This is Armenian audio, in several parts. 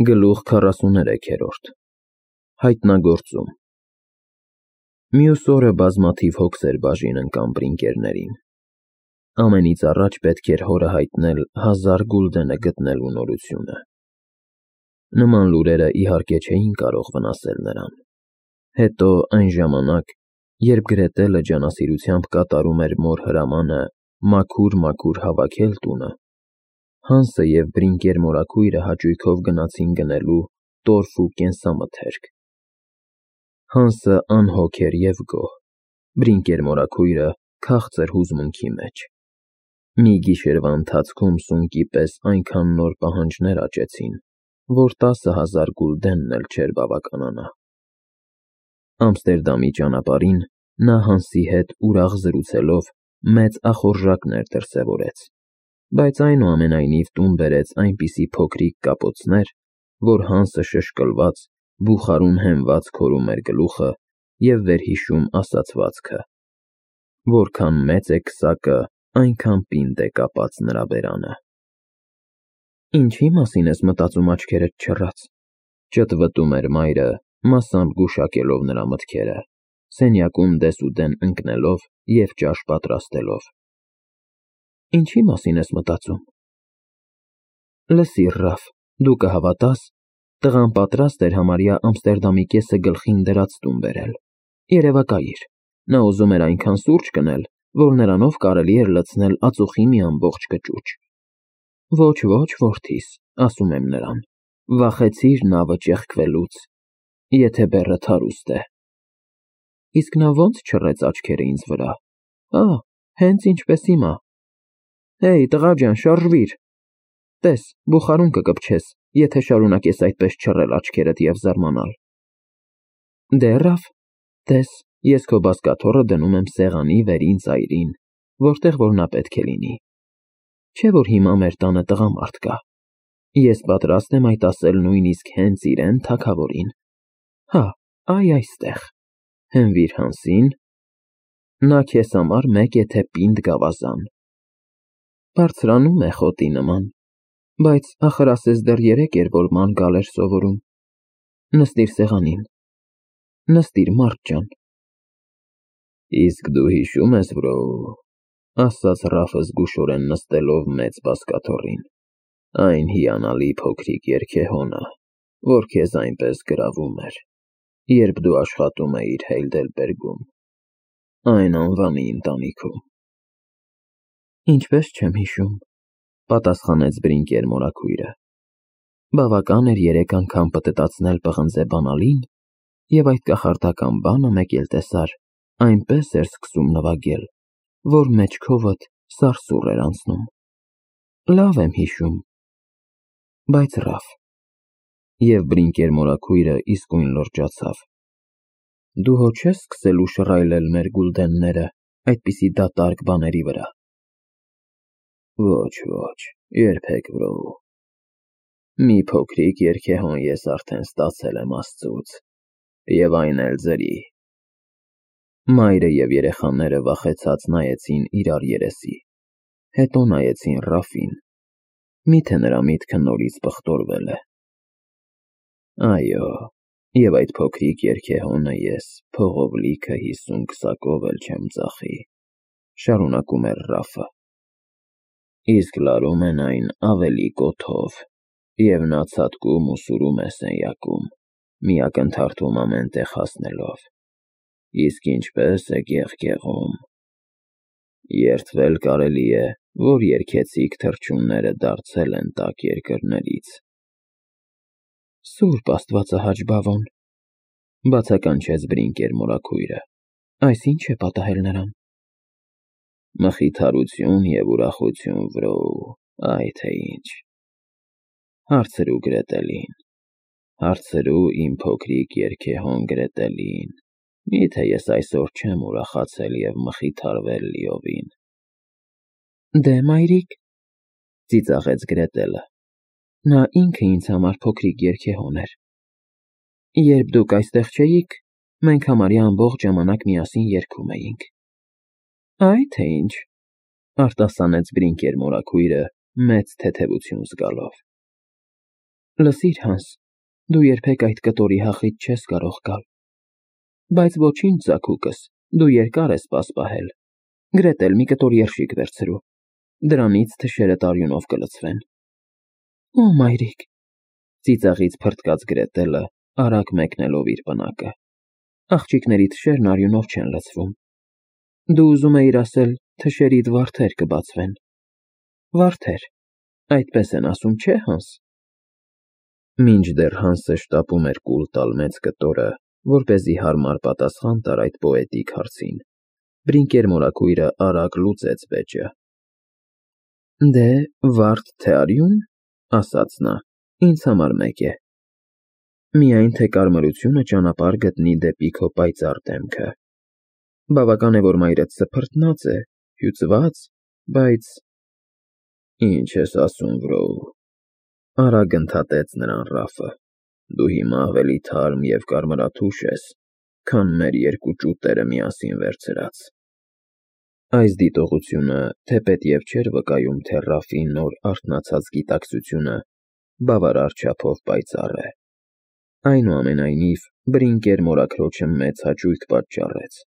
Գլուխ 43 Հայտնագործում Մյուս օրը բազմաթիվ հոգսեր բաժին ընկան բրինկերներին։ Ամենից առաջ պետք էր հորը հայտնել 1000 գուլդենը գտնելու նորությունը։ Նման լուրերը իհարկե չէին կարող վնասել նրան։ Հետո այն ժամանակ, երբ Գրետելը ջանասիրությամբ կատարում էր մոր հրամանը մաքուր հավաքել տունը, Հանսը և բրինկեր մորաքույրը հաճույքով գնացին գնելու տորֆ ու կենսամթերք։ Հանսը անհոգ էր և գոհ, բրինկեր մորաքույրը քաղցր հուզմունքի մեջ։ Մի գիշերվա ընթացքում սունկի պես այնքան նոր պահանջներ աճեցին, որ 10,000 գուլդենն էլ չէր բավականանա։ Ամստերդամի ճանապարհին նա Հանսի հետ ուրախ զրուցելով մեծ ախորժակներ դրսևորեց, բայց այնուամենայնիվ տուն բերեց այնպիսի փոքրիկ կապոցներ, որ Հանսը շշկլված, բուխարուն հենված քորում էր գլուխը և վերհիշում ասացվածքը. որքան մեծ է քսակը, այնքան պինդ է կապած նրա բերանը։ Ինչի՞ մասին ես մտածում աչքերդ չռած, ճտվտում էր մայրը, մասամբ գուշակելով նրա մտքերը, սենյակում դեսուդեն ընկնելով և ճաշ պատրաստելով։ Ինչի՞ մասին ես մտածում։ Լսիր, Ռաֆ, դու կհավատաս, տղան պատրաստ էր համարյա Ամստերդամի կեսը գլխին դրած տուն բերել։ Երևակայիր, նա ուզում էր այնքան սուրճ կնել, որ նրանով կարելի էր լցնել ածուխի մի ամբողջ կճուճ։ Ոչ, որդիս, ասում եմ նրան, վախեցիր նավը ճեղքվելուց, եթե բեռդ հարուստ է։ Իսկ նա ո՞նց չռեց աչքերը ինձ վրա։ Հենց ինչպես հիմա։ Հեյ, տղա ջան, շարժվիր։ Տես, բուխարուն կկպչես, եթե շարունակես այդպես չռել աչքերդ և զարմանալ։ Դե Ռաֆ, տես, ես քո բազկաթոռը դնում եմ սեղանի վերին ծայրին, որտեղ որ նա պետք է լինի։ Չէ՞ որ հիմա մեր տանը տղամարդ կա։ Ես պատրաստ եմ այդ ասել նույնիսկ հենց իրեն թագավորին։ Այ այստեղ, հենվիր Հանսին, նա քեզ համար մեկ է թե պինդ գավազան։ Բարձրանում է խոտի նման, բայց ախր ասես դեռ երեկ էր, որ ման գալ էր սովորում։ Նստիր սեղանին, նստիր, մարդ ջան։ Իսկ դու հիշում ես, ասաց Ռաֆը զգուշորեն նստելով մեծ բազկաթոռին, այն հիանալի փոքրիկ երգեհոնը, որ քեզ այնպես գրավում էր, երբ դու աշխատում էիր Հեյդելբերգում, այն անվանի ընտանիքում։ Ինչպես չեմ հիշում, պատասխանեց բրինկեր մորաքույրը։ Բավական էր 3 անգամ պտտացնել պղնձե բանալին, և այդ կախարդական բանը մեկ էլ տեսար, այնպես էր սկսում նվագել, որ մեջքովդ սարսուռ էր անցնում։ Լավ եմ հիշում, բայց Ռաֆ… Եվ բրինկեր մորաքույրը իսկույն լրջացավ։ Դու հո չես սկսելու շռայլել մեր գուլդենները այդպիսի դատարկ բաների վրա։ Ոչ, երբեք, Մի փոքրիկ երգեհոն ես արդեն ստացել եմ Աստծուց, և այն էլ ձրի։ Մայրը և երեխաները վախեցած նայեցին իրար երեսի, հետո նայեցին Ռաֆին, միթե նրա միտքը նորից պղտորվել է։ Այո, և այդ փոքրիկ երգեհոնը ես փողով լիքը 50 քսակով էլ չեմ ծախի, շարունակում էր Ռաֆը։ Իսկ լարում են այն ավելի կոթով, և նա ցատկում ու սուրում է սենյակում, մի ակնթարթում ամեն տեղ հասնելով։ Իսկ ինչպես է գեղգեղում։ Երդվել կարելի է, որ երգեցիկ թռչունները դարձել են տաք երկրներից։ Սուրբ Աստվածահաճ բավոն, բացականչեց բրինկեր մորաքույրը, այս ի՞նչ է պատահել նրան։ Մխիթարություն և ուրախություն, այ թե ինչ։ Հարցրու Գրետելին, հարցրու իմ փոքրիկ երգեհոն Գրետելին, միթե ես այսօր չեմ ուրախացել և մխիթարվել լիովին։ Դե մայրիկ, ծիծաղեց Գրետելը, նա ինքը ինձ համար փոքրիկ երգեհոն էր։ Երբ դուք այստեղ չէիք, մենք համարյա ամբողջ ժամանակ միասին երգում էինք։ Այ թե ինչ, արտասանեց բրինկեր մորաքույրը մեծ թեթևություն զգալով։ Լսիր, Հանս, դու երբեք այդ կտորի հախից չես կարող գալ, բայց ոչինչ, Զաքուկս, դու երկար ես պասպահել, գրետ էլ մի կտոր երշիկ վերցրու, դրանից թշերդ արյունով կլցվեն։ Օ, մայրիկ, ծիծաղից փրթկաց Գրետելը, արագ մեկնելով իր պնակը, աղջիկների թշերն արյունով չեն լցվում։ Դու ուզում էիր ասել, թշերիդ վարդեր կբացվեն։ Վարդեր, այդպես են ասում, չէ, Հանս։ Մինչդեռ Հանսը շտապում էր կուլ տալ մեծ կտորը, որպեսզի հարմար պատասխան տար այդ պոետիկ հարցին, Բրինկեր մորաքույրը արագ լուծեց վեճը։ Դե, վարդ թե արյուն, ասաց նա, ինձ համար մեկ է։ Միայն թե կարմրությունը ճանապարհ գտնի դեպի քո պայծառ դեմքը։ Բավական է, որ մայրդ սփռտնած է, հյուծված, բայց… Ինչ ես ասում, վրոու, արագ ընդհատեց նրան Ռաֆը, դու հիմա ավելի թարմ և կարմրաթուշ ես, քան մեր երկու ճուտերը միասին վերցրած։ Այս դիտողությունը, թեպետ և չէր վկայում, թե Ռաֆի նոր արթնացած գիտակցությունը բավարար չափով պայծառ է։ Այնուամենայնիվ, Բրինկեր մորաքրոջը մեծ հաճույք պատճառեց։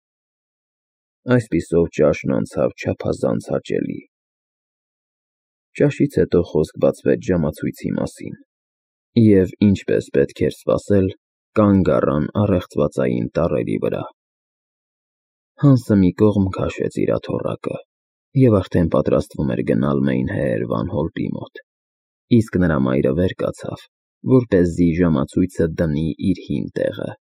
Այսպիսով ճաշն անցավ չափազանց հաճելի։ Ճաշից հետո խոսք բացվեց ժամացույցի մասին, և, ինչպես պետք էր սպասել, կանգ առան առեղծվածային տառերի վրա։ Հանսը մի կողմ քաշեց իր աթոռակը և արդեն պատրաստվում էր գնալ Մեյնհեեր Վան Հոլտի մոտ, իսկ նրա մայրը վեր կացավ, որպեսզի ժամացույցը դնի իր հին տեղը,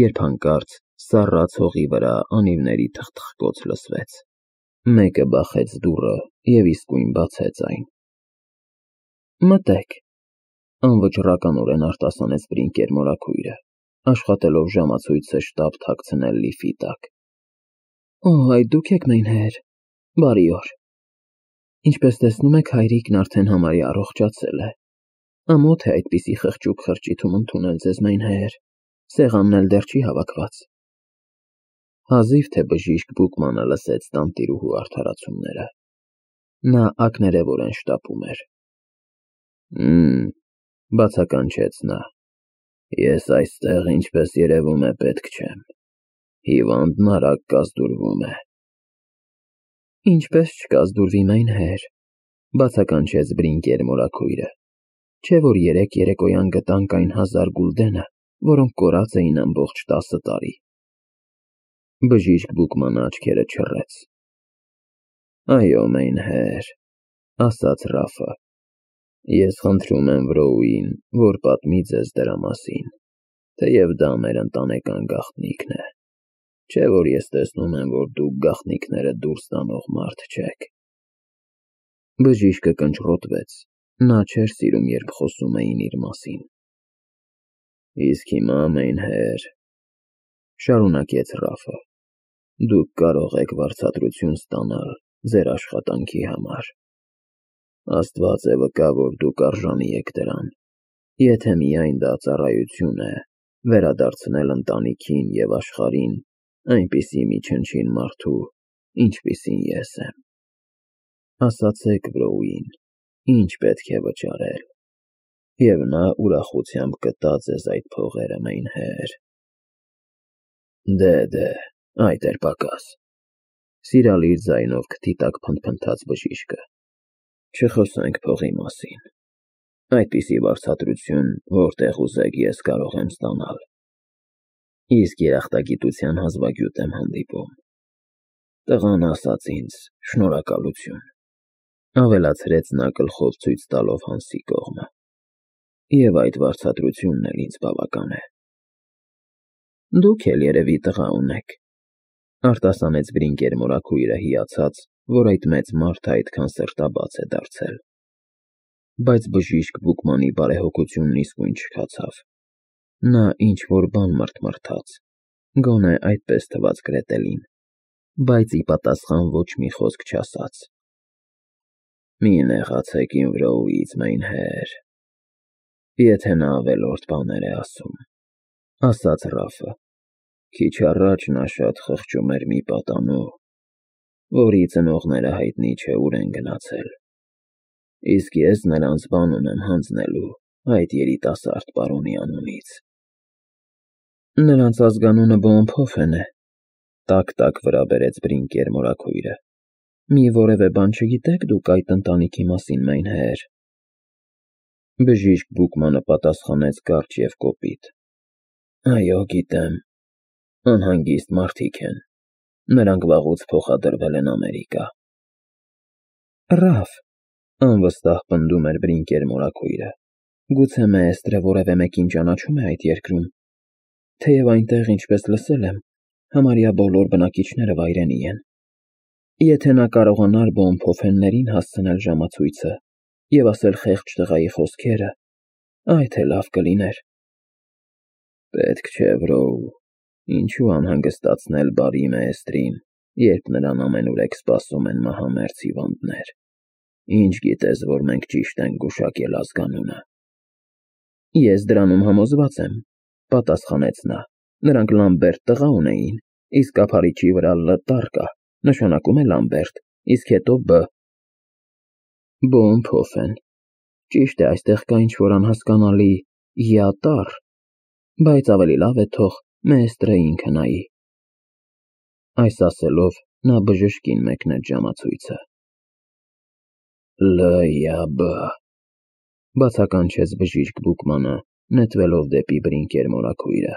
երբ հանկարծ սառած հողի վրա անիվների թխթխկոց լսվեց։ Մեկը բախեց դուռը և իսկույն բացեց այն։ Մտեք, անվճռականորեն արտասանեց Բրինկեր մորաքույրը, աշխատելով ժամացույցը շտապ թաքցնել լիֆի տակ։ Օ, այդ դուք եք Մեյնհեեր, բարի օր։ Ինչպես տեսնում եք, հայրիկն արդեն համարյա առողջացել է։ Ամոթ է այդպիսի խղճուկ խրճիթում ընդունել ձեզ Մեյնհեեր, սեղանն էլ դեռ չի հավաքված։ Հազիվ թե բժիշկ Բուկմանը լսեց տանտիրուհու արդարացումները։ Նա ակներևորեն շտապում էր։ Բացականչեց նա, ես այստեղ, ինչպես երևում է, պետք չեմ։ Հիվանդն արագ կազդուրվում է։ Ինչպես չկազդուրվի Մեյնհեեր, բացականչեց Բրինկեր մորաքույրը, չէ որ երեկոյան գտանք այն 1000 գուլդենը, որոնք կորած էին ամբողջ 10 տարի։ Բժիշկ Բուկմանը աչքերը չռեց։ Այո, Մեյնհեեր, ասաց Ռաֆը, ես խնդրում եմ վրոուին, որ պատմի ձեզ դրա մասին, թեև դա մեր ընտանեկան գաղտնիքն է, չէ որ ես տեսնում եմ, որ դուք գաղտնիքները դուրս տանող մարդ չեք։ Բժիշկը կնճռոտվեց, նա չէր սիրում, երբ խոսում էին իր մասին։ Իսկ հիմա, Մեյնհեեր, շարունակեց Ռաֆը, դուք կարող եք վարձատրություն ստանալ ձեր աշխատանքի համար։ Աստված է վկա, որ դուք արժանի եք դրան, եթե միայն դա ծառայություն է, վերադարձնել ընտանիքին և աշխարհին այնպիսի մի չնչին մարդու, ինչպիսին ես եմ։ Ասացեք վրոուին, ինչ պետք է վճարել, և նա ուրախությամբ կտա ձեզ այդ փողերը, Մեյնհեեր։ Դե, այդ էր պակաս, սիրալիր ձայնով քթի տակ փնթփնթաց բժիշկը։ Չխոսենք փողի մասին։ Այդպիսի վարձատրություն, որտեղ ուզեք, ես կարող եմ ստանալ։ Իսկ երախտագիտության հազվագյուտ եմ հանդիպում։ Տղան ասաց ինձ շնորհակալություն, ավելացրեց նա գլխով ցույց տալով Հանսի կողմը, և այդ վարձատրությունն էլ ինձ բավական է։ Դուք էլ երևի տղա ունեք, արտասանեց Բրինկեր մորաքույրը հիացած, որ այդ մեծ մարդը այդքան սրտաբաց է դարձել։ Բայց բժիշկ Բուկմանի բարեհոգությունն իսկույն չքացավ։ Նա ինչ-որ բան մռթմռթաց, գոնե այդպես թվաց Գրետելին, բայց ի պատասխան ոչ մի խոսք չասաց։ Մի նեղացեք իմ վրոուից, Մեյնհեեր, եթե նա ավելորդ բաներ է ասում, ասաց Ռաֆը։ Քիչ առաջ նա շատ խղճում էր մի պատանու, որի ծնողները հայտնի չէ ուր են գնացել, իսկ ես նրանց բան ունեմ հանձնելու այդ երիտասարդ պարոնի անունից։ Նրանց ազգանունը Բոմփոֆեն է, տակ-տակ վրա բերեց Բրինկեր մորաքույրը։ Մի որևէ բան չգիտեք դուք այդ ընտանիքի մասին, Մեյնհեր։ Բժիշկ Բուկմանը պատասխանեց կարճ և կոպիտ. Այո, գիտեմ, անհանգիստ մարդիկ են, նրանք վաղուց փոխադրվել են Ամերիկա։ Ռաֆ, անվստահ պնդում էր Բրինկեր մորաքույրը, գուցե Մեստրը որևէ մեկին ճանաչում է այդ երկրում, թեև այնտեղ, ինչպես լսել եմ, համարյա բոլոր բնակիչները վայրենի են։ Եթե նա կարողանար Բոմփոֆեններին հասցնել ժամացույցը և ասել խեղճ տղայի խոսքերը, այդ էլ լավ կլիներ։ Պետք չէ, Վրոու, ինչու անհանգստացնել բարի Մեստրին, երբ նրան ամենուրեք սպասում են մահամերձ հիվանդներ։ Ինչ գիտես, որ մենք ճիշտ ենք գուշակել ազգանունը։ Ես դրանում համոզված եմ, պատասխանեց նա, նրանք Լամբերտ տղա ունեին, իսկ ափարիչի վրա Լ տառ կա, նշանակում է Լամբերտ, իսկ հետո B։ Բոմփոֆեն։ Ճիշտ է, այստեղ կա ինչ-որ անհասկանալի յա տառ, բայց ավելի լավ է թող Մեստրը ինքը նայի։ Այս ասելով նա բժշկին մեկնեց ժամացույցը։ Լ-յա-B, բացականչեց բժիշկ Բուկմանը, նետվելով դեպի Բրինկեր մորաքույրը։